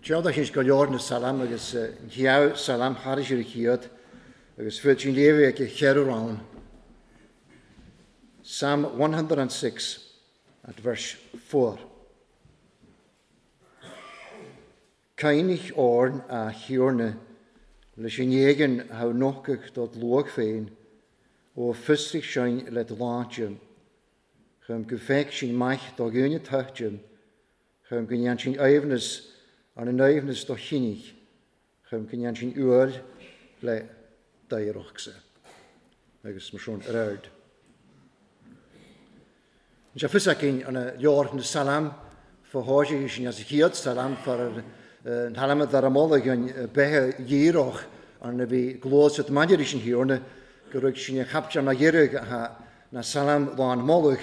Tseoda sin go leor na salam agus cheann salam thairis ar a chéad agus fuair sin léamh ag cheithre rann. Psalm 106 at verse 4. Cainich orn a Thiarna leis an éigin thá nochtadh dod luach féin, ó fiosraigh sinn le do shláinte, chun go bhfeic sinn maith do dhaoine toighte, chun go ndéan sinn aoibhneas arna n-aoibhneas do chinnidh, chun go ndéan sinn uaill le d'oidhreachtsa. Agus mar sin ar aird. Tá sé fios againn an leabhar na Salam fá thoisigh sin as a chéad Salam far an Salam a dara moladh an beithe dhíreach arna bhí gluaiseacht maidir leis an Thiarna go raibh sin a chaiptean a dheireadh a na Salam lán moladh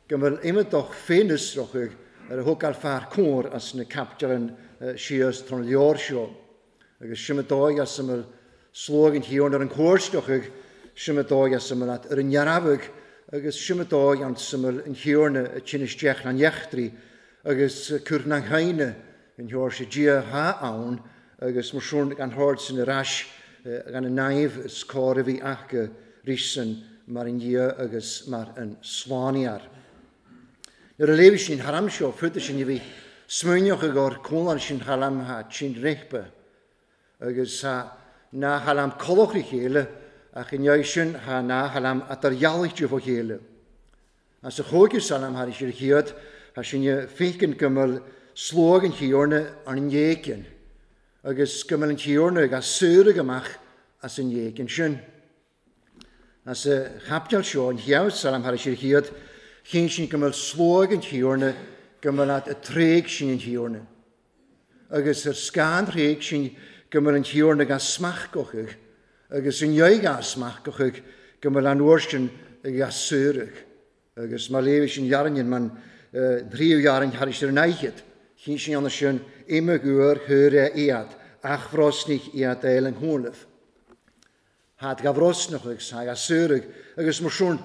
go bhfuil imeadach féinfhiosrach ar a thógáil fear cóir as na caiptean síos tar an leabhar seo. Agus sin a dóigh as a mbeadh sluag an Thiarna ar an gcóirsteach, sin a dóigh as a mbeadh ar an ndearfadh, agus sin a dóigh as a mbeadh an Thiarna ag tinn isteach na n-eachtraí agus cur na n-aoine an Sheoirse Dia atá ann, agus mar sin gan shord sin ar ais gan an naomh is cóir a bhí acu rísean mar an Dhia agus mar an Slánaíoir. Nuair a léigh sin thar am seo, fúthu sin a bhí smaoineach i gcomhair cúnláin sin thar am tha tinn réipe, agus tha ná thar am colach a chéile, ach i ndiaidh sin tha ná thar am atar dhealaigh fá chéile. As a chúigiú salam thar ar chéad, tha sin a féiceann go mbeadh sluag an Thiarna ar an éigean, agus go mbeadh an Tiarna ag saoradh amach as an éigean sin. As a chaipiteal seo, an chéad salam thar ar chéad, chinn sin go mbeadh sluag an Thiarna, go mbeadh a tréig sin an Thiarna. Agus ar scáth an thréig sin go mbeadh an Thiarna ga smachtgochadh, agus i ndiaidh ga smachtgochadh go mbeadh an uair sin ga saoradh. Agus má léigh sin dhearfainn man thríú dhearfainn thairis ar an fhaichid, chinn sin ann sin imigh uair thuair é iad, ach bhrosnaigh iad eil an chúnamh. Thad ga bhrosnach agus tha ga saoradh, agus mar sin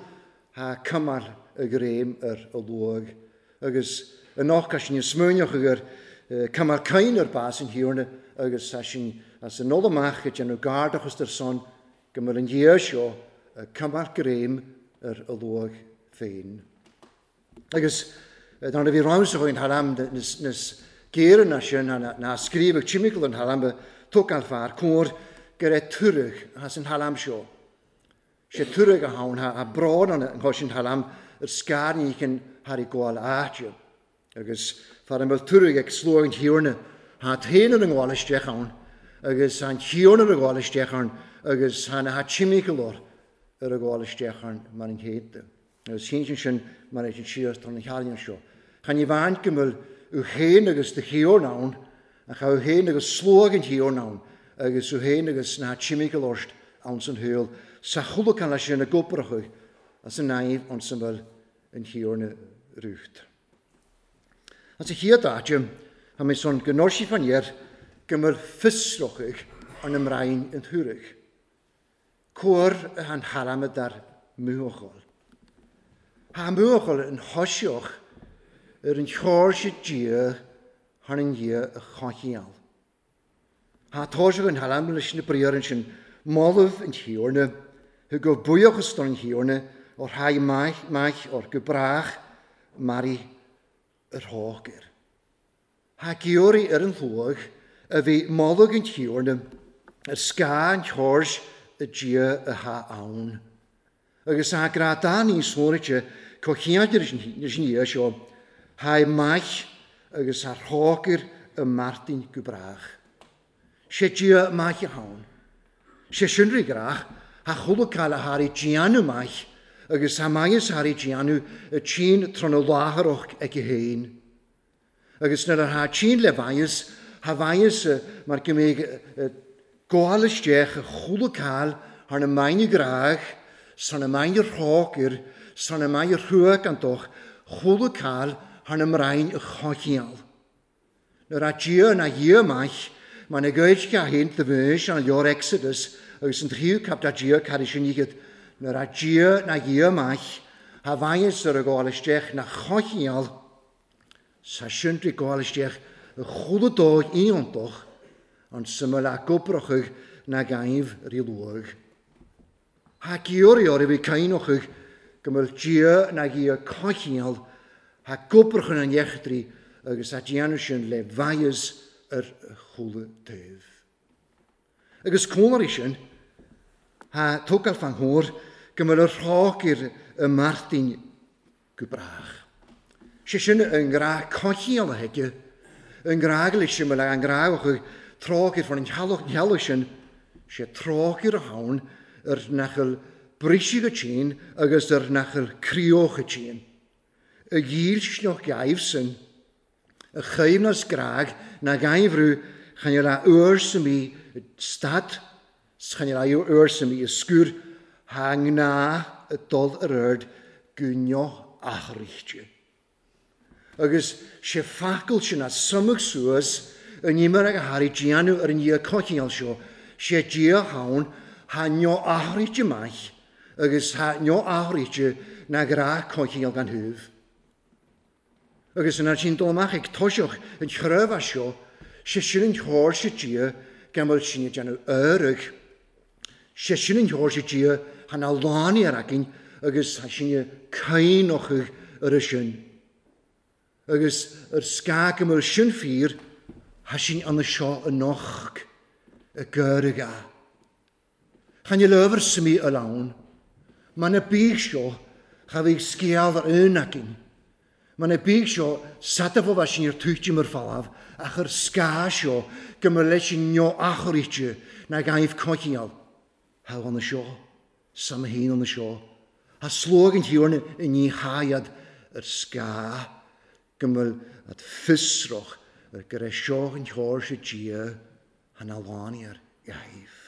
tha cumail a ghreim ar a luaigh. Agus anocht tá sin an smaoineach agur cumail cain ar bás an Thiarna agus tá sin as an dul amach ag déanamh gardachas ar son go mbeadh an Dia seo ag coimeád greim ar a luach féin. Agus dar ndóigh bhí ramsa chugainn thar am níos géire ná sin, ná scríobhadh timpeall an thar am, tógáil fear cóir go raibh tuarach as an thar am seo. Sé tuarach a thabhain a brón an chois an thar am ar scairníochan thar i gcomhail áite. Agus fara mbeadh tuarach ag slua an Thiarna, thá t-aon ar an ngabháil isteach ann, agus thá an Tiarna ar a ghabháil isteach ann, agus thá na timcheall ar a ghabháil isteach ann mar an chéadta. Agus shín sin mar é sin síos tar na healaíona seo. Chan ní bhaint go mbeadh thú féin agus do Thiarna ann, ach thá thú féin agus slua an Thiarna ann, agus thú féin agus na timcheall ort ann san shaol, sa chuileacán leis sin ag obair as an naomh ann sa mbeadh an Thiarna rút. As a chéad áit, tá mé son go ndóirfidh fan air go mbeadh fiosrachadh ar na mbrainn an tuarach. Cóir an thalamh dar mbuachaill. Tá an buachaill an thoiseach ar an Sheoirse Dia thar an Dhia a choincheall. Tá toiseach an thalamh leis na briathra ansin, Moladh an Tiarna, thug go buíochas don Thiarna ó thraigh maith maith or go brách maraí ar thócair. Tá giorraí ar an hluaigh a bhí moladh an Tiarna ar scáth an tseoirse Dia atá ann. Agus tá grá dá níos sóraite chomh chiáidir leis an Dhia seo, tha maith agus tha thrócaire i Martin go brách. Sé Dia maith atá ann. Sé sin rí grách, tha chuile cáil a tháinig déanamh maith agus tha maitheas a tháinig déanamh i tSín tráthnóna láithreach aici féin. Agus nuair atá tinn le mhaitheas, tha mhaitheas mar go mbeidh gabháil isteach i chúla cáil thar na maidhne gráich, 's thar na maidhne thrócaire, 's thar na maidhne thruacántacht, chúla cáil thar na mbrainn a choincheall. Nuair atá Dia ina Dhia maith, mar na Gaeilge a haon do bhís an leabhar Exodus agus an tríú cap dá Dia cad é sin iad, nuair atá Dia ina Dhia maith, tha mhaitheas ar a ghabháil isteach na choincheall, Sa sin trí gabháil isteach Chuile dóigh iontach an suime le gobrachaidh na gaibh rí luaidh. Tha giorria a bhí caoineachaidh go mbeadh Dia na Dhia coincheall tha gobrachan an eachtraí agus tha déanamh sin le mhaitheas ar chuile taobh. Agus cónairí sin, tha tógáil fan chóir go mbeadh ar thrácair i Martin go brách. Sé sin an grá coincheall a thuige, an grá go leis sin, an grá a chuir trácair fan an theallach sin, sé trácair a thabhain ar nach bhfuil briseadh go tinn agus ar nach bhfuil críoch go tinn. A dhílsneach gaibh sin, a choibhneas grág na gaibhriú chan fheil a uair sa mí stad, 's chan fheil a uair sa mí a scúr, tha ngnáth ag dul ar aird go neo-athraíte. Agus sé focal sin a sumadh suas in imir ag a thairí déanamh ar an Dhia coincheall seo, sé Dia ann tha neo-athraíte maith agus tha neo-athraíte na grá coincheall gan thaobh. Agus an sin dul amach ag toiseach an chreimhe seo, sé sin an chóir Dia gan bhfuil sin ag déanamh áirithe. Sé sin an chóir Dia tha na lánaí ar againn agus tha sin caoinochaidh ar a sin. Agus ar scáth go bhfuil sin fíor, tha sin an seo anocht i gcuirge. Chan fheil ábhar suimí a lán. Mar na bídh seo, cha bhíodh scéal ar aon againn. Mar na bídh seo, sadafó bheith sin ar túite mar falamh, ach ar scáth seo go mba leis sin neo-athraíte na gaibh coincheall. Tha an seo, sam haon an seo. Tha slóg an thiarna i ní háiad ar scáth go bhfuil at fiosrach ar go raibh seo an chóir sé Dia tha na lánaí ar ghaibh.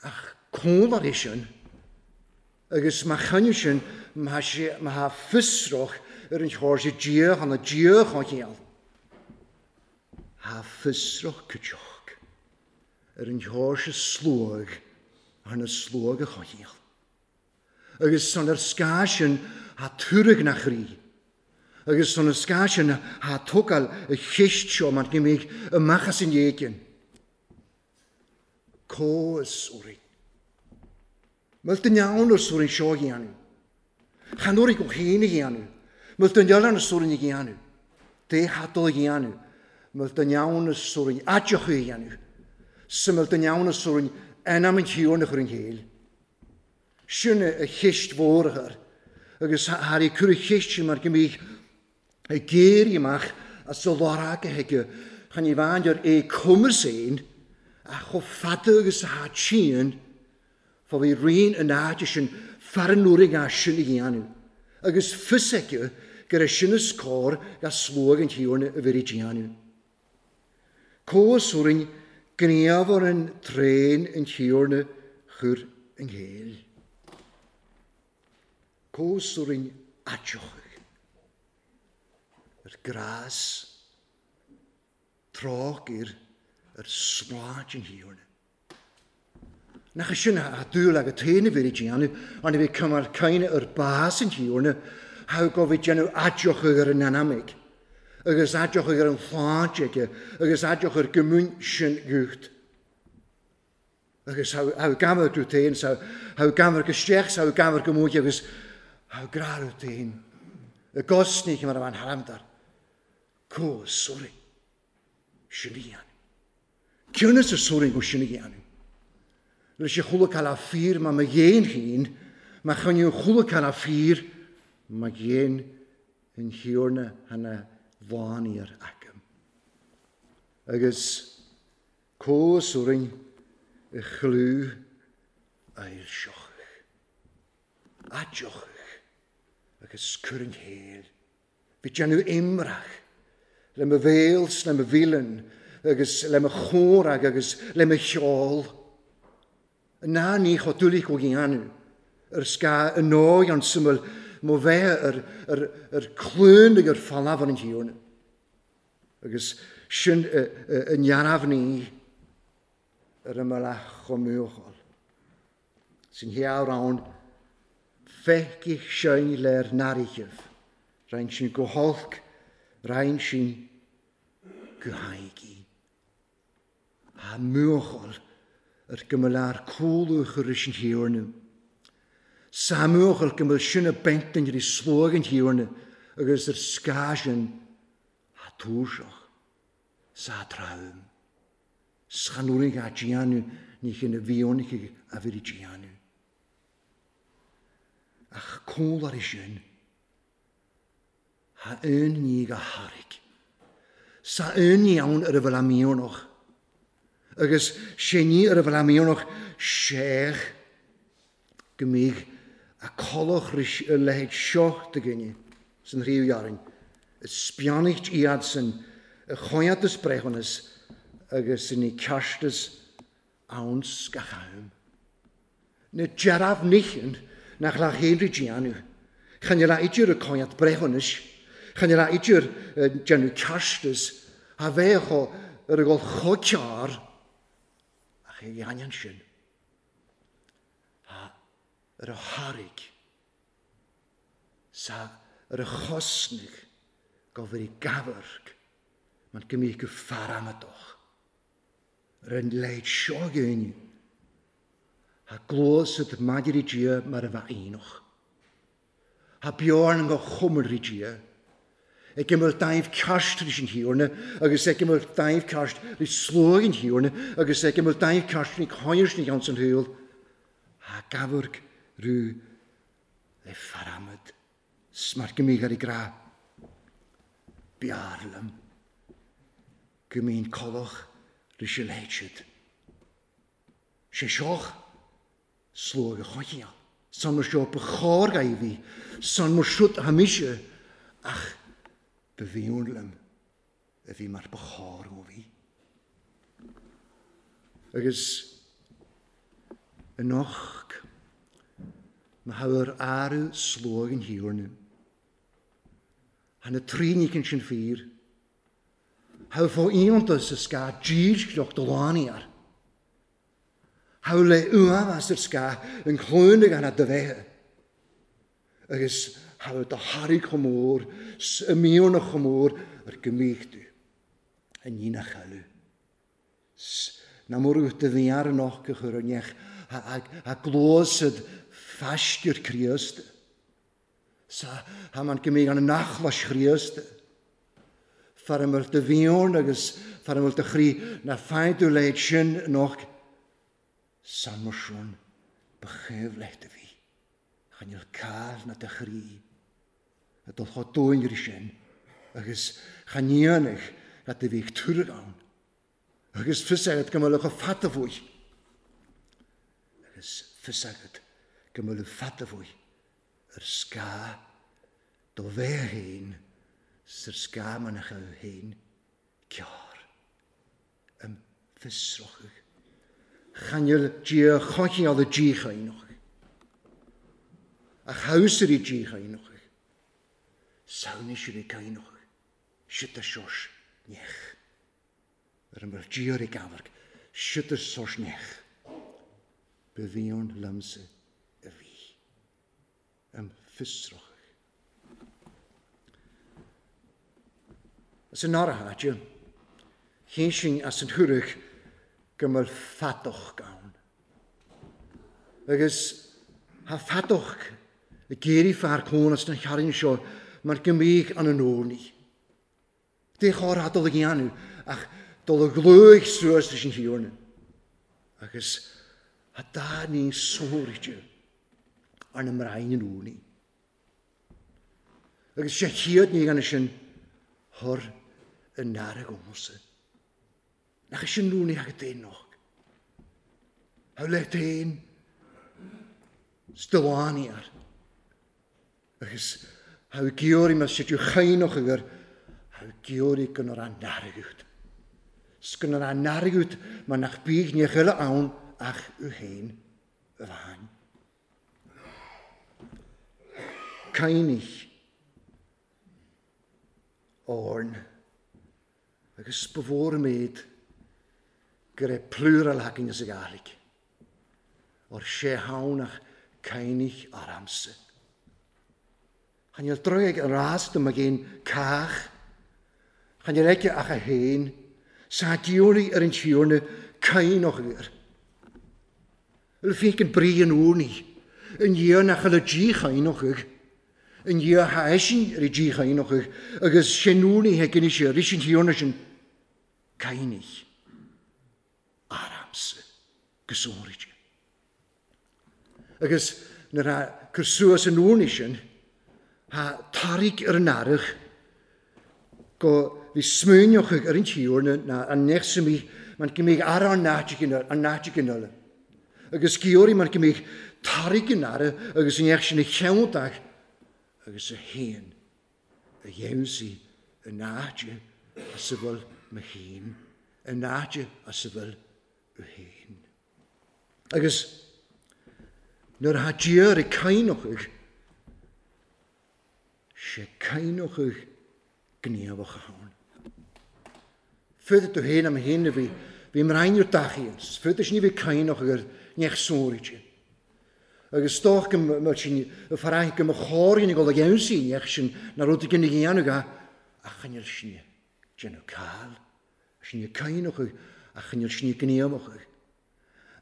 Ach cóngar é sin, agus má chainneadh sin, má tha fiosrach ar an chóir sé Dia tha na Dia choincheall. Tha fiosrach cuideach ar an chóir sé sluag thar na sluag a choincheall. Agus san ar scáth sin tha tuarg na chroí. Agus san ar scáth sin tha tógáil a cheist seo mar go mbeidh amach as an éigin. Comhas orainn. Mil den ann ar sórin seo a dhéanamh. Chan orainn go féin a dhéanamh. Mil den eile ar sórin a dhéanamh. Dé hadal a dhéanamh. Mil den ann ar sórin aiteach a dhéanamh. Sa mil den ann ar sórin ainm an thiarna a chur an chéill. Sin a cheist mhór a chur. Agus thar í cur a cheist sin mar go mbíodh ag géirí amach as a lorg a thuige chan í bhain ar é cumas aon ach chomh fada agus atá tinn fá bhí rian an áite sin fear an uair ag sin a dhéanamh. Agus fios aici go raibh sin is cóir ga sluag an thiarna a bhí déanamh. Comhas orainn gníomh ar an tréan an thiarna chur an chéill. Comhas orainn aiteochaidh. Ar grás trácair ar sláint an thiarna. Nach sin a dúil agat féin a bhí déanamh, an a bhí cumar caoine ar bás an thiarna, tha go bhí déanamh aiteochaidh ar an anamaigh, agus aiteochaidh ar an shláint aige, agus aiteochaidh ar gomún sin gucht. Agus tha gamar go féin, tha gamar go isteach, tha gamar go móide, agus tha grá féin. Y gosni mar a bhain haramdar. Có sori. Sin a dhéanamh. Cionnas y sori go sin a dhéanamh. Leis y chwla cael a ffyr ma ma dhéan hyn, ma chynnu chwla cael a ffyr, ma dhéan yn hiwrna hana fániar agam. Agus có sori'n y chlw ail siochach. A diochach. Agus cur yn héil. Bhí déanamh imrach le mo bhéals, le mo mhílean, agus le mo chórag agus le mo cheol. Ná ní cho dúlaí go dhéanamh ar sca an nóigh an suimil mo bheith ar clún ag ar falamh an thiarna. Agus sin an neamhní ar an mbealach chomh muacháil. Sin hear ann feicfidh sin leir narichibh. Rhain sin go holc, rhain sin go haigi. Ha muachal ar gymylar cúlwch yr ysyn hiwrnu. Sa muachal gymyl sin y bentyn yr i slwag yn hiwrnu agus yr sgasin ha túrsioch. Sa trawm. Schanwrig a gianu ní chyn y fionig a fyr i gianu. Ach cúl ar ysyn ha un ní go harig. Sa un iawn ar y fel amionoch. Agus sé ní ar y fel amionoch seach gymig a coloch rys y lehed sioch dy gynnu sy'n rhyw iarin. Y spianicht iad sy'n y choiad ys brechonus agus yn ei castus awns gachawm. Na jaraf nichen nach lach henry gianu. Chan la idir y coiad brechonus. Chan la idir genu castus a fecho yr ygol chociar ach ei anian sin. Ha yr o harig sa yr y chosnig gofyr i gafyrg mae'n gymig y ffaramadwch. Yr yn leid siog ein. Ha glos yd madir i gia mar y fa einwch. Ha bjorn yn go chwmr i gia. Ag ymwyl daif cast rys yn hiwrna, agus ag ymwyl daif cast rys slwg yn hiwrna, agus ag ymwyl daif cast rys coirs ni gans yn hwyl. Ha gafyrg rhyw le ffaramad. Smart gymig ar ei gra. Biarlym. Gymyn coloch rys y leidsiad. Sé sioch slwg y chochial. San mar sio bychor gai fi. San mar siwt hamisio. Ach, byfiwn lym. Y fi mar bychor o fi. Agus yn och, mae hawr arw slwg yn hiwrn. Han y trin i cyn sy'n ffyr. Haw fo iontas y sga gyd joch dylani ar. Haw le uafas yr sga yn clwynig an a dyfehe. Agus haw dy harig chomôr, y miwn y chomôr, yr gymig du. Yn un a chalw. Na mwr yw'r dyddiar yn och gychwyr yn iech, a glos yd fastir Christ. Sa ha man gymig an nachlas Christ. Far ymwyl dy fion agus far ymwyl dy chri na ffaid yw leid sin noch san mor swn bychef leid y fi. Chan yw'r cael na dy chri. A dol cho dwy'n gyda sin. Agus chan ionig na dy fi twrg awn. Agus ffysagad gymyl o'ch ffata fwy. Agus ffysagad gymyl o'ch ffata fwy. Yr sga do fe hyn sy'r sga ma'n eich hyn ciar ym ffysroch. Chaniel gia chochi oedd y gi chainoch. A chawsir i gi chainoch. Sawn eisiau i cainoch. Sut y sos nech. Yr ymwyr gi o'r i gafarg. Sut y sos nech. Byddion lymse y fi. Ym ffysroch. As yn arhatio, hyn as yn hwrach gymryd ffadoch gawn. Agus ha ffadoch y geiri ffar côn as yn charin sio, mae'r gymig an yn ôl ni. Dech o'r adol ag ianw, ach dol y glwych sŵas rys yn hiwrn. Agus ha da ni'n sôr i ti ar y mraen yn ôl ni. Agus sé chiad ni gan ysyn hor yn narag omose. Nach ysyn nhw'n i ag denoch. Haw le den stylani ar. Agus haw giori ma sydd yw chainoch agar haw giori gyn o'r anaragwt. Sgyn o'r anaragwt ma nach big ni chyla awn ach yw hen y fan. Cainich orn. Agus before made gyda plural hacking as y galig. O'r sé hawnach cainich ar amser. Chan fhuil droigh ag an rás do mo ghéin cách. Chan fhuil aige ach a fhéin. 'S thá diabhlaí ar an Tiarna caoineadh air. Bhuel féach an brí an urnaí. I ndiaidh nach bhfuil a díchaoineadh, i ndiaidh thá eisean ar a díchaoineadh agus sin urnaí ag anois ar an Tiarna sin caoineadh aramsa go sonraí. Agus nuair a cur suas an urnaí sin, tha tarraig ar an earrach go bhí smaoineochaidh ar an Tiarna ná an ndeich man go mbíodh ara an áit in eile. Agus giorraí man go mbíodh tarraig an ara agus an ndeich sin a cheanntach agus a haon a dheimhsigh an áit as a bhfuil mo fhéin, an áit as a bhfuil a fhéin. Agus nuair atá Dia ag caoineachadh, sé caoineachadh gníomhach ann. Féadfaidh tú féin am féin a bhí, bhí mbrainn ar dtachaíonn, féadfaidh sin a bhí caoineachadh ar neach sóraide. Agus stoc go mbeadh sin a faraith go mba chóir ina gol ag aimsí neach sin na rud a dhéanamh ach choinneáil sin déanamh cáil. Sin é caoineachadh ach níl sin é gníomhachadh.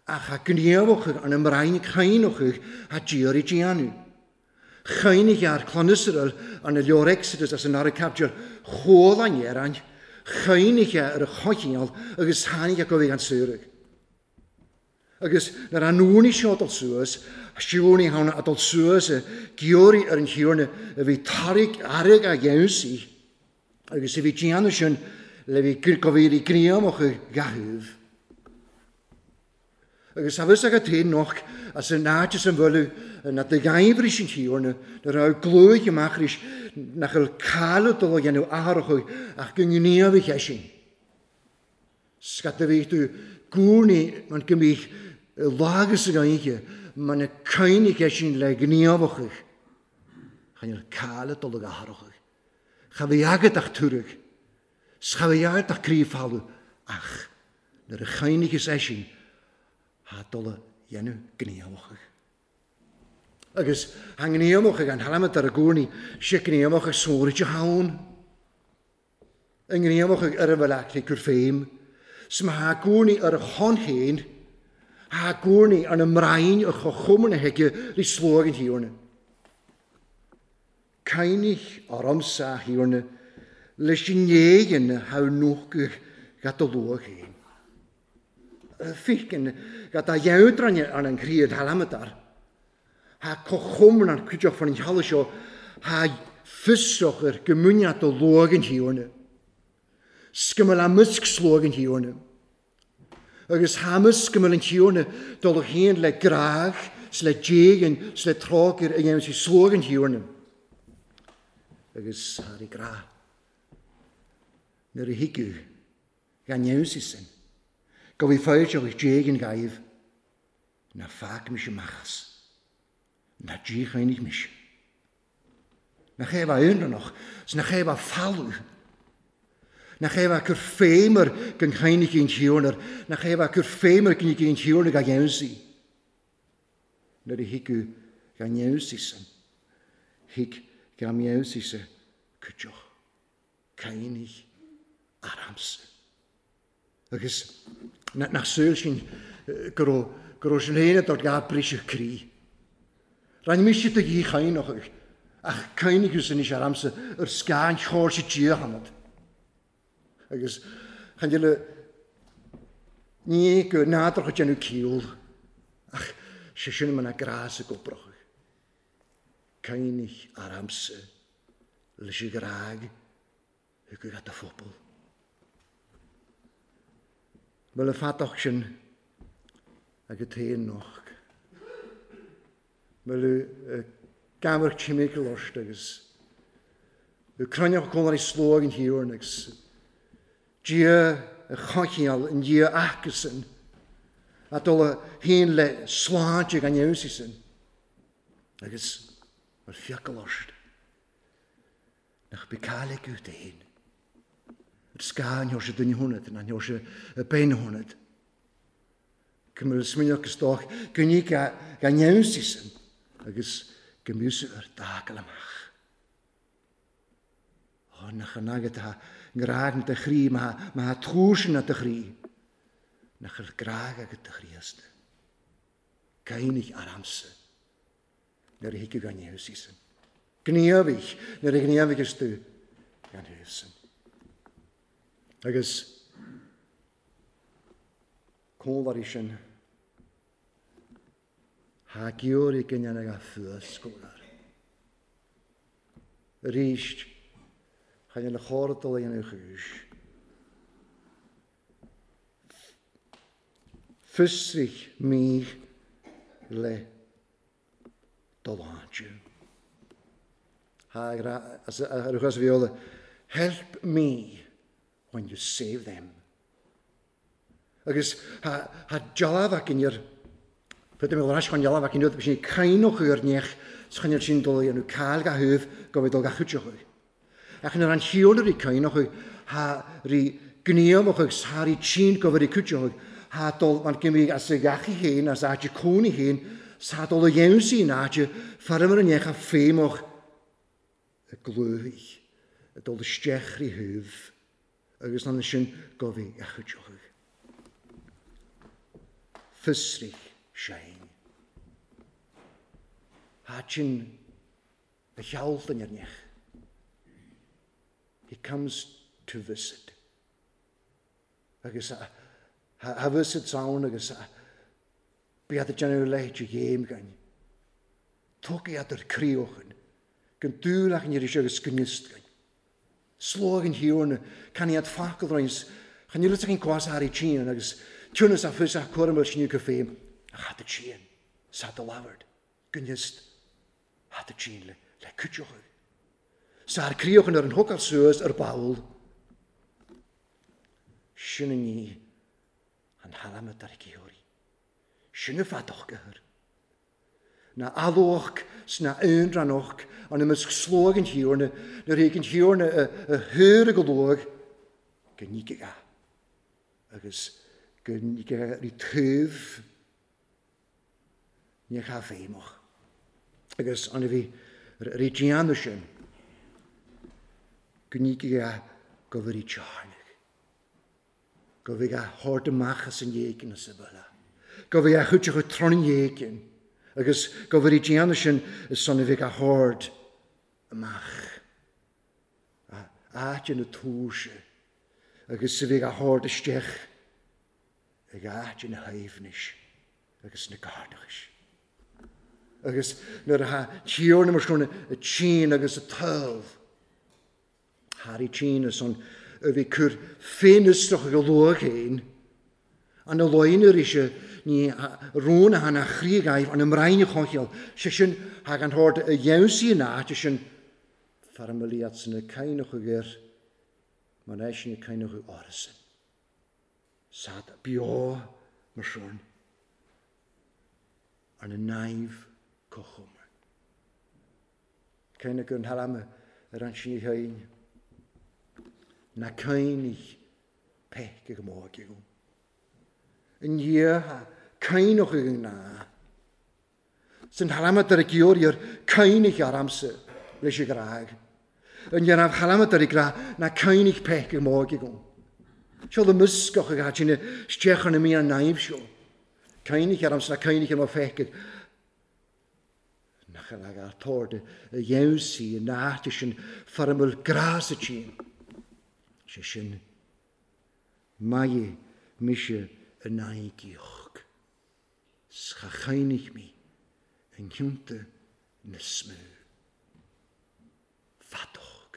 Ach a gníomhachadh arna mbrainn caoineachadh a d'iarraidh déanamh. Chaoinigh ar Clann Iosrael arna leor Exodus as an Ara Caibidil chuala an Iaráin, chaoinigh ar a choincheall agus tháinig a gabhaidh an saoradh. Agus nuair a ndúnaigh seo dul suas, siúnaigh ann a dul suas a giorraigh ar an Thiarna a bhí tarraig airg a gheansaí, agus a bhí déanamh sin le bhí go bhí rí gníomhach a gcaitheamh. Agus tá fhios agat féin noch as an áit is an bhfuil na do ghaimhris an Thiarna, na raibh glúig amach arís nach bhfuil cailleadh dul a dhéanamh athrach ach go ngníomhaigh eisean. Scata bhí tú gúnaí man go mbíodh lágas ag oíche man a caoinigh eisean le gníomhachaidh. Chan fhuil cáil ag dul ag athrachaidh. Cha bhí agat ach tuarthaigh. 'S cha bhí agat ach croí folamh ach nuair a chaoinigheas eisean thá dul a dhéanamh gníomhachaidh. Agus thá ngníomhachaidh an halamaid ar a gúnaí sé gníomhachaidh sóraide ann. I ngníomhach ar a bhfuil aici gur féim, 's má thá gúnaí ar a shon féin, thá gúnaí ar na mbrainn a chothúmar na haige rí sluagh an Thiarna. Caoinigh ormsa, a Thiarna, leis an ngéighean thá nuachadh ga do luadh féin. Ficheann ga dá gheadráine ar an gcríod thalamhadar. Thá cothrom an cuideachta fan chealla seo, thá fiosrach go múineadh do luagh an Thiarna. 'S go mbeadh amuisc sluagh an Thiarna. Agus thá amuisc go mbeadh an Tiarna dul féin le grádh 's le déighin 's le trócaire a dhéanamh sí sluagh an Thiarna. Agus thar a grá nuair a thigeadh gan neamhsaí sin, go bhí foilseach déighin gaibh. Ná fág mise amach as. Ná díchoinnigh mise. Nach é a bheith aonrannach, 's nach é a bheith folamh. Nach é a bheith cur féim ar gan choinnigh an Tiarna, nach é a bheith cur féim ar gní an Tiarna gan gheansaí. Nuair a thigeadh gan gheansaí san, thig gan gheansaí sa cuideach. Coinnigh aramsa. Agus nach súil sin go raibh, go raibh sin féin a dá briseadh croí. Rinne mise do dhíchoinneochaidh, ach coinnigh thusa anois aramsa ar scáth an chóir Dia ionat. Agus chan eile ní go nádúrtha déanamh ciall, ach sé sin mar a grá sa gcobrach. Coinnigh aramsa leis an ghrág Thugadh a do phobal. Bhfuil an fathach sin agat féin noch? Bhfuil gamhar timcheall ort agus cruinneach cónairí sluagh an Thiarna agus Dia a choincheall i ndiaidh acusan a dul féin le sláinte gan fheabhas sin agus bhfuil fiacail ort. Nach bith cáil aige féin. Ar scáth an Sheoirse duine hionad, ná an Sheoirse bean hionad. Go mbeadh smaoineach go stoc go ní ga neamhsaí san agus go mbíodh ar d'fhágáil amach. Ó, nach an agat atá ngrá na do chroí, má tá túr sin na do chroí, nach bhfuil grá agat do Chríost. Caoinigh aramsa nuair a thiocfaidh an Iosí sin. Gníomhaigh nuair a ghníomhaíos tú gan thuas sin. Agus comhláirí sin, Thá giorria go ndéanfaidh a fuascóir. Arís, chan fhuil a chóir dul a dhéanamh chúis. Fiosraigh mí le do shláinte. Thá ar a bheola, Help me when you save them. Agus tha dealbh acu ar Put mé rais chun dealbh acu nuair sin caoineadh ar neach 's chun ar sin dul a dhéanamh cáil ga thaobh go bhfuil dul ga chuideochaidh. Ach nuair an chiall rí caoineadh tha rí gníomhach agus tha rí tinn go bhfuil rí cuideochaidh tha dul mar go mbíodh as a gheachaí féin as áit a cónaí féin 's tha dul a dhéanamh sí in áit feirm ar an neach a feidhmeach a glúthaigh ag dul isteach rí thaobh agus ansin go bhí a chuideochaidh. Fiosraigh sein. Thaitin a sheoltain ar neach. He comes to visit. Agus a visit ann agus a bíad ag déanamh leithéid de ghéim againn. Tógfaidh iad ar críochan, gan dúil ach an iris agus go nioscainn. Slógh an Thiarna, can iad focal roinnt, chan fhuil fhios againn cá has Harry Tien agus tiúnas a fios ach cúram ar sniú go féin, ach thad a Tien, sa do labhairt, go niosc, thad a Tien le, le cuideochaidh. Sa ar críochan ar an hocal suas ar ball. Sin an ní an thalamh ar cíoraí. Sin a fadach go Na alóch 's na aonrannach an imeasc slóigh an Thiarna, nuair a an Thiarna a thuar go luath, go nígfidh a agus go nígfidh rí taobh ní cha feidhmeach. Agus an a bhí rí déanamh sin, go nígfidh a go bhfuil rí tearnach. Go bhfidh a thabhairt amach as an éigean as a bhaile. Go bhfidh a chuid tron an éigin agus go bhfuil déanamh sin is son a bheidh a thabhairt amach. A áit ina túirse agus a bheidh a thabhairt isteach ag áit ina haoibhnis agus na gairdachais. Agus nuair atá Tiarna mar sin a tSín agus a taobh, Harry Tine san a bhí cur féinfhiosrach ag a luath féin, an a loin arís ní rún a thána chroí-ghaibh an mbrainn choicheall, sé sin thag an hord a dheimhsí an áit sin fear a mbliad san a cainneach air mar eisean a cainneach árasan. Sad beo mar sin arna naimh cochomar. Cé na gur tharla ar an sí féin na caoinigh peic go móg agam. I ndiaidh caoineach ag an ngná. San tharla ar a giorriar ar caoinigh aramsa leis an ghrág. I ndiaidh tharla ar a grá na caoinigh peic go móg agam. Seo le muscach ag áit isteach ar na mí an naimh seo. Caoinigh aramsa na caoinigh ar mo feic nach an agar tord a dhéansaí in áit sin fearmhil grá sa tSín. Sé sin, maith mise in aghaidh 's cha chaoinigh mé i ncionta na smú. Feadóg,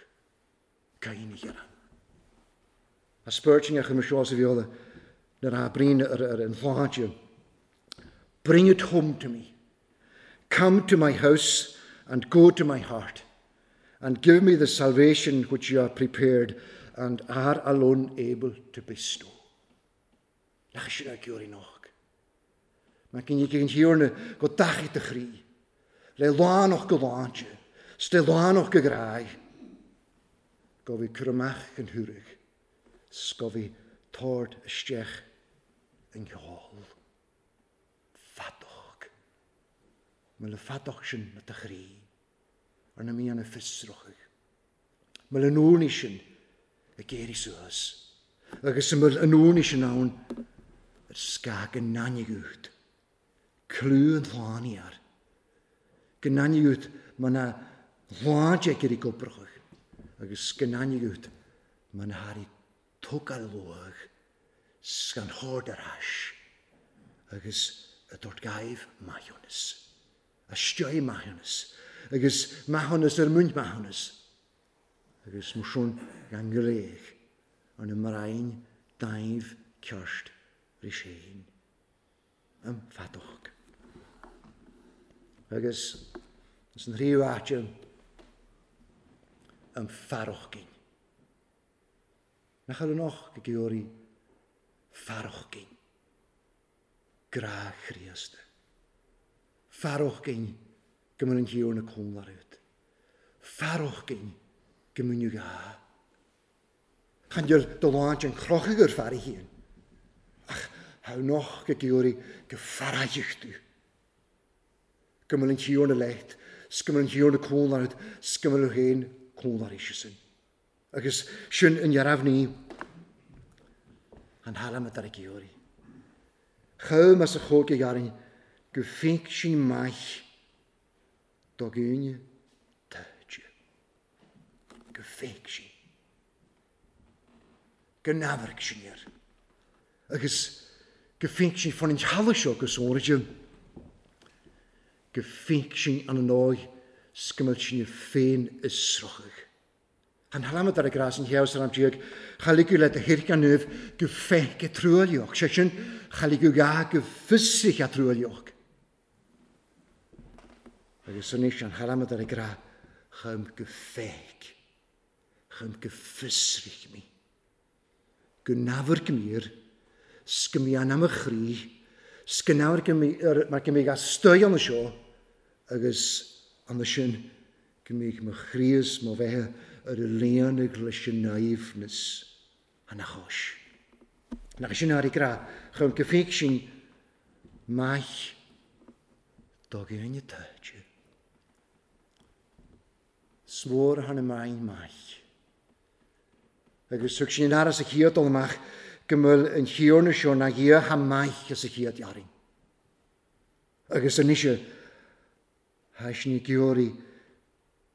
caoinigh ar an. A spurting a chum seo sa bheola nuair a bhríonn ar an shláinte. Bring it home to me. Come to my house and go to my heart and give me the salvation which you have prepared and are alone able to bestow. Nach sin ar giúirí noch. Mae gen i gen hiwrna go dachi dy chri. Le lánach go láinte, 's le lánach go grái. Go bhí cur amach yn hwrig, 's go bhí tord isteach yn gheol. Fadog. Mae le fadog sin na dy chri, ar na mí an y ffysrochig. Mbeadh an urnaí sin ag éirí suas agus a mbeadh an urnaí sin ann ar scáth go n-aithneodh clú an tsláine air, go n-aithneodh mar na shláinte ag éirí gobrachach agus go n-aithneodh mar na hairí tógáil luath 's gan chord ar ais agus a dúirt gaibh maithiúnas, a stiúidh maithiúnas agus maithiúnas ar muint maithiúnas agus mar sin gan glaoch ar na mbrainn daimh ceart ris féin am feadóg. Agus ins an thríú áit am fearúchginn. Nach eil an och go gheobhaidh fearúchginn grá Chríosta. Fearúchginn go mbeadh an Thiarna cóngar agat. Fearúchginn go mbeadh gá. Chan eil do láint an chrochadh ar fear a haon, ach thá an och go gheobhaidh go fearfaidh tú. Go mbeadh an Thiarna leat, 's go mbeadh an Thiarna cóngar agat, 's go mbeadh féin cóngar aige-san. Agus sin an dhearbhní an thalamh atá ag iarraidh. Chomh as a chóig a go féic sin maith do dhaoine taighde. Go féic sin. Go n-amharc sin air. Agus go féic sin fan an teallach seo go sóirde. Go féic sin an ndóigh 's go mbeadh sin féin is sroicheadh. An hlamad ar a grás an chéad san am cha ligeadh le do thirceannaibh go feice truaillíoch, sé sin, cha ligeadh gá go fiosraithe truaillíoch. Agus anois an hlamad ar a grá chum go feic, chum go fiosraich mé, go n-amharc mír, 's go mbí anam a chroí, 's go n-amharc mar go mbíodh a stoigh ann seo, agus ann sin go mbíodh mo chroí is mo bheatha ar a líonadh leis an aoibhneas ina chois. Nach sin ar ag rá chun go bhféadh sin maith do dhaoine taighde. 'S mór thar na meáin maith. Agus thug sin aire sa chéad dul amach go mbeadh an Thiarna seo ina Dhia chomh maith as a chéad fhearainn. Agus anois tá sin ag iarraidh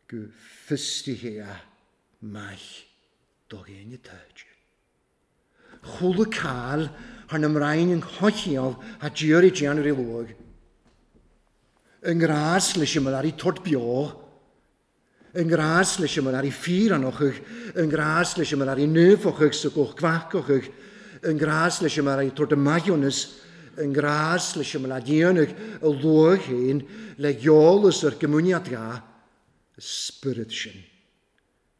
go fiosraithe a maith do dhaoine taighde. Chuala cáil thar na mbrainn an choincheall a d'iarraidh déanamh rí luath. I ngrás leis an mbealaí tort beo, i ngrás leis an mbealaí fíreannachadh, i ngrás leis an mbealaí naofachadh sa gcomh gfacachadh, i ngrás leis an mbealaí tort maithiúnas, i ngrás leis an mbealaí déanamh a luath féin le heolas ar gcomuniad gá, spiorad sin.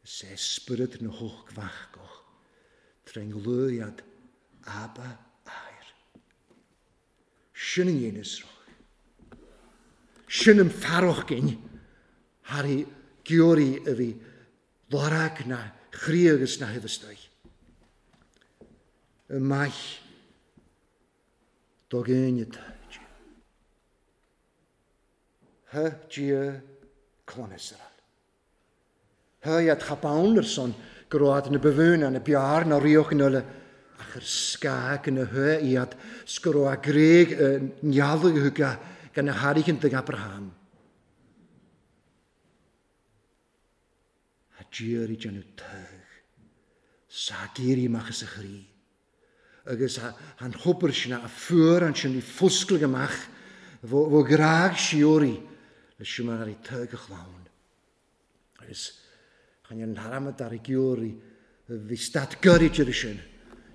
Is é spiorad na hógmhacach trén gluairead Abba Athair. Sin an dhéine sruth. Sin an fearachginn thar i gciorraí a bhí lorg na chroí agus na huibheastaigh. I maith do dhaoine táid. H Dia clann Iosrael. Thuigh cha bonn ar son go raibh na ba mhó ná na b'fhearr ná ríoch in uile ach ar scáth na thuath iad 's go raibh a gréig i ndealbh thuga gan a thairgint ag Abraham. A d'iarraidh déanamh togh 's a d'éirigh amach as a chroí agus an thobar sin a fuair ansin í foscladh amach bhó ghrág síoraí le siúmar i togh a chlann. Agus chan an tharmad ar a giúirí bhí stát gairid ar sin.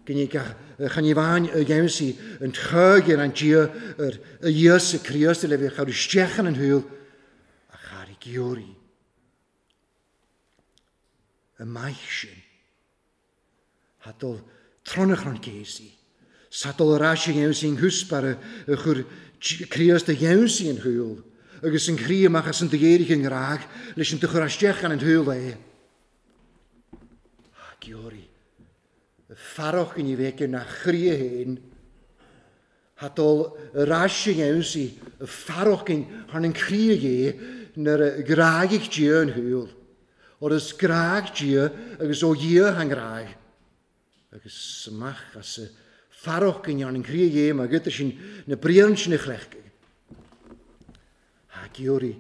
Chan ní bhain a dhéanamh an trág ar an Dia ar a Íosa Críost le bheith chur isteach in an shúil ach ar a giúirí. Y maith sin. Tha dul tronach an céasaí. Sa dul ar ais a dhéanamh an húsbara a chur Críost a dhéanamh an shúil agus an chroí amach as an dhéirigh an ngrádh leis an do chur isteach an shúil é. Tha giorraí. Fearach ní bheidh na chroí féin. Tha dul ar ais a dhéanamh fearach thar an chroí é nuair a ghráigh Dia an shúil. Óir is grág Dia agus ó Dhia an ghrág. Agus amach as a fearach go ndearna an chroí dhéim agat sin na briathra sin a chleachtadh. Thá giorraí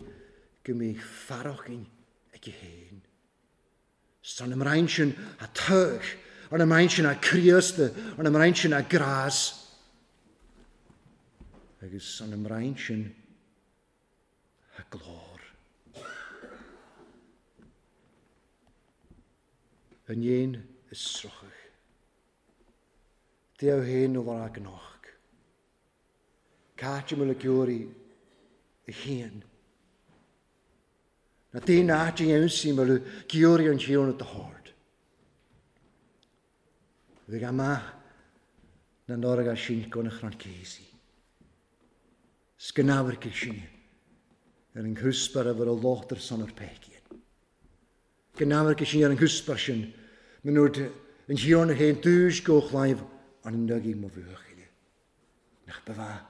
go mbíodh fearach aici féin. 'S ar na mbraon sin a toghadh, ar na mbraon sin a críosta, ar na mbraon sin a grás, agus ar na mbraon sin a glór. An éan is sroicheadh. Dia féin a lorg anocht. Cáit a bhfuil ag iarraidh a féin. Na daoine áit a dhéanfaí mar a giorraigh an Tiarna do hord. Bhí amach na n-orga sin gona chrann céasaí. 'S go n-amharcaidh sinne ar an gcrúsbar a bhfuil a lucht ar son ar péicín. Go n-amharcaidh sinne ar an gcrúsbar sin, mnuair an Tiarna féin dúis go chlaíomh an n-agaidh mo bhuachaille. Nach ba mhaith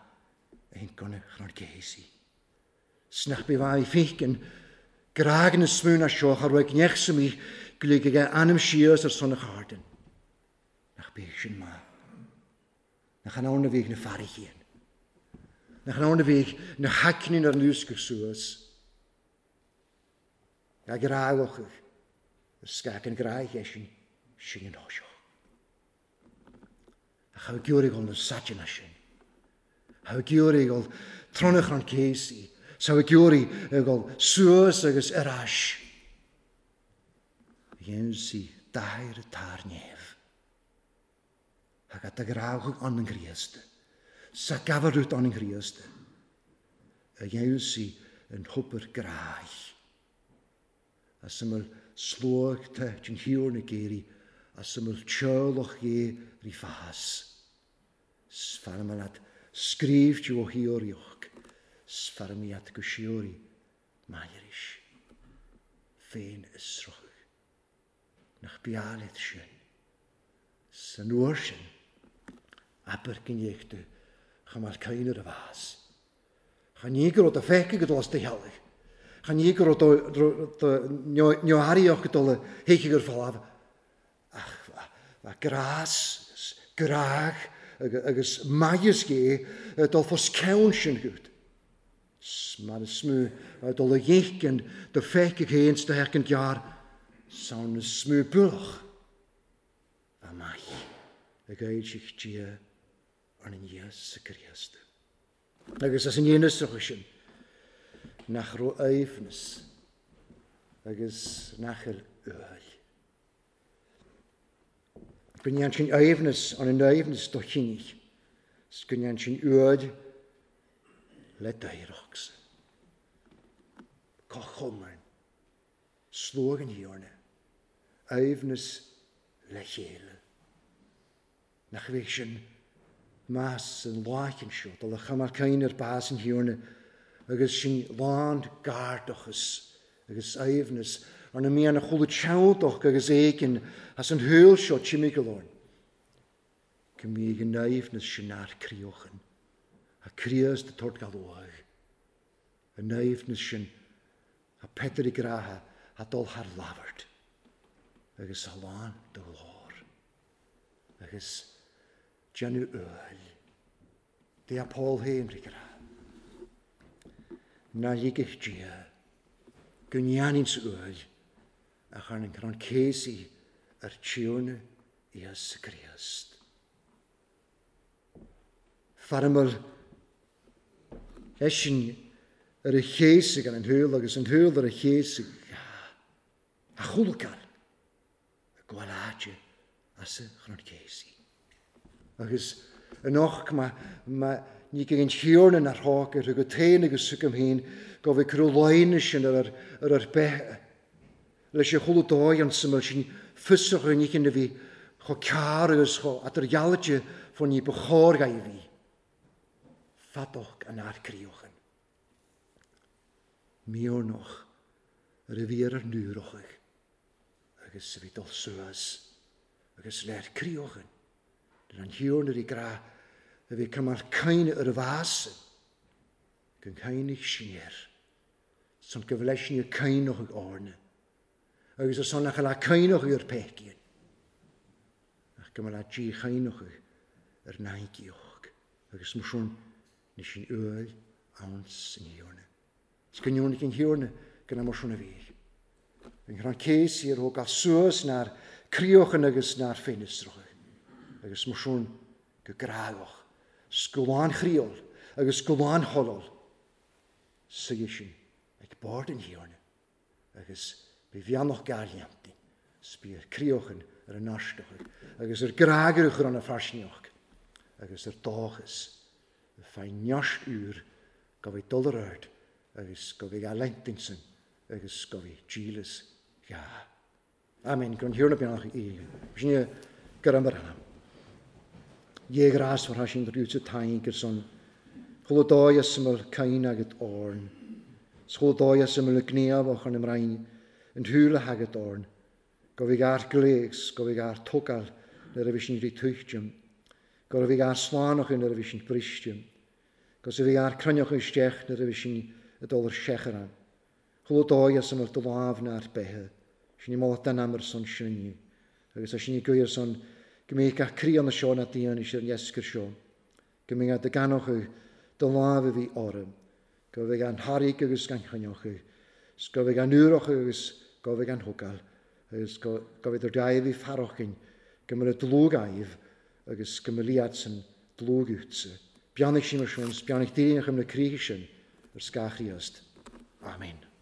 a shin gona chrann céasaí. 'S nach bí mhaith féiceann grág na smúna seo cha raibh gneach sa mí go lig aige ainm síos ar son a chárdan. Nach bíodh sin maith. Nach in ann a bhíodh na fairíchín. Nach in ann a bhíodh na haicnín ar núscadh suas. Ga grágach is scac an gráig eisean sin an seo. Ach tha giúirigh na saiteanna sin. Tha giúirigh ol tronach an céasaí. 'S tha giúirigh ag ol suas agus ar ais. Dhein sí dair tar neamh. Ach a grádh an an Chríost. Sa gabharút an an Chríost. A dhein sí an hobair gráich. As a bhfuil sluaigte den thiar na géirí, as a bhfuil teaghlach dhé rí fás. 'S fearr leat scríobh ó thíoraíocht, 's fearr leat go síoraí mairis, féin is sroicheadh. Nach breá leat sin? San uair sin, abair go ndéidh tú chomh maith caoin ar a bhás. Chan ní go raibh do feicthe go dul as do theaghlaigh. Chan ní go raibh do neothairíocht go dul a théigh ar folamh. Ach bha grás agus grág agus maitheas gé dul fos ceann sin gut. Mar is mó dul a dhéiceann do feicthe féin 's do fheiceann gearr san is mó buach amach ag éirigh Dia ar an Íosa Críost. Agus as an dhéanamh sin nach raibh aoibhneas agus nach bhfuil uail. Go ndéan sin aoibhneas an an aoibhneas do chinnidh, 's go ndéan sin uail le d'éireachsa. Cá chomain, sluagh an Thiarna, aoibhneas le chéile. Nach bhféadh sin meas an láicheann seo dul a choimeád caoin ar bás an Thiarna agus sin lán gairdachas agus aoibhneas ar na mian a chuala teanntach agus éigin as an shaol seo timpeall orainn. Go mbíodh an aoibhneas sin ár críochan, a Críost a tabhairt go luath. An aoibhneas sin a Peter i gcraiche a dul thar labhairt agus a lán de ghlór. Agus déanamh uail. Dia Paul féin ag rá. Ná ligfidh Dia go ndéanfainn sa uail a chur an crann céasaí ar Tiarna Íosa Críost. Fearmar eisean ar a chéasadh ar an shúil agus an shúil ar a chéasadh a chúlcar a gabháil áite as a chrann céasaí. Agus anocht má ní ag an Tiarna nár thóg ar agat féin agus agam féin go bhfuil cuireadh laonna sin ar ar bith leis an chuala dóigh an suim sin fiosrach an oíche a bhí chomh cearr agus chomh eadar-dhealailte fá ní ba chóir a bhí. Feadóg an fhear críochan. Miornach ar a bhí ar ar ndúrochaidh agus a bhí dul suas agus léir críochan ar an thiarna rí grá a bhí cumar caoine ar a bhás go gcaoinigh sin air san go bhfleisne caoineach ag Áirne. Agus ar son nach bhfuil caoineadh ar pecín, ach go mbeadh díchaoineadh ar naigíoch, agus mar sin ní sin uail anns an Thiarna. Is go ndéanfaidh an Thiarna go mar sin a bhí. An chrann céas ar thógáil suas nár críochan agus nár féinisreacha, agus mar sin go grágach, 's go lánchriól agus go lánsholol, suighe sin ag bord an Thiarna, agus bí bheannach gairleantaí, 's bí ar críochan ar an aisteach, agus ar grágach ar an farsneach, agus ar dóchas, fein neart úr go bhí dul ar ard, agus go bhí a leintinsin, agus go bhí dílis gá. Amen. Gon Thiarna beannach í. Sin gur am anam. Dhé grás war sin rúte tain gur son. Chula dóigh syml cain agat orn. Chula dóigh syml gníomh och an ymrain yn hwyl agat orn. Go bhí gar glégs, go bhí gar tógáil nuair a bhí sin rí tuichtium. Go bhí gar slánach nuair a bhí sin bristium. Go bhí gar cruinneach isteach nuair a bhí sin i dul ar secharan. Chula dóigh syml do lámh na'r bethe. Sin i molat den amr son sinni. Agus a sin i gwyr son go mbeidh gach crí an seo na daoine is ar an esgur seo. Go mbeidh dy ganoch dy lámh a bhí orm. Go bheidh an thairg agus gan choinneoch. Go bheidh an úrach agus go bheidh an thugáil. Agus go bheidh dur daimh i farochin. Go mbeidh dlúg aibh agus go mbeidh liad san dlúg útsa. Beannaigh sin mar sin, beannaigh daoine chum na críche sin ar scáchríost. Amen.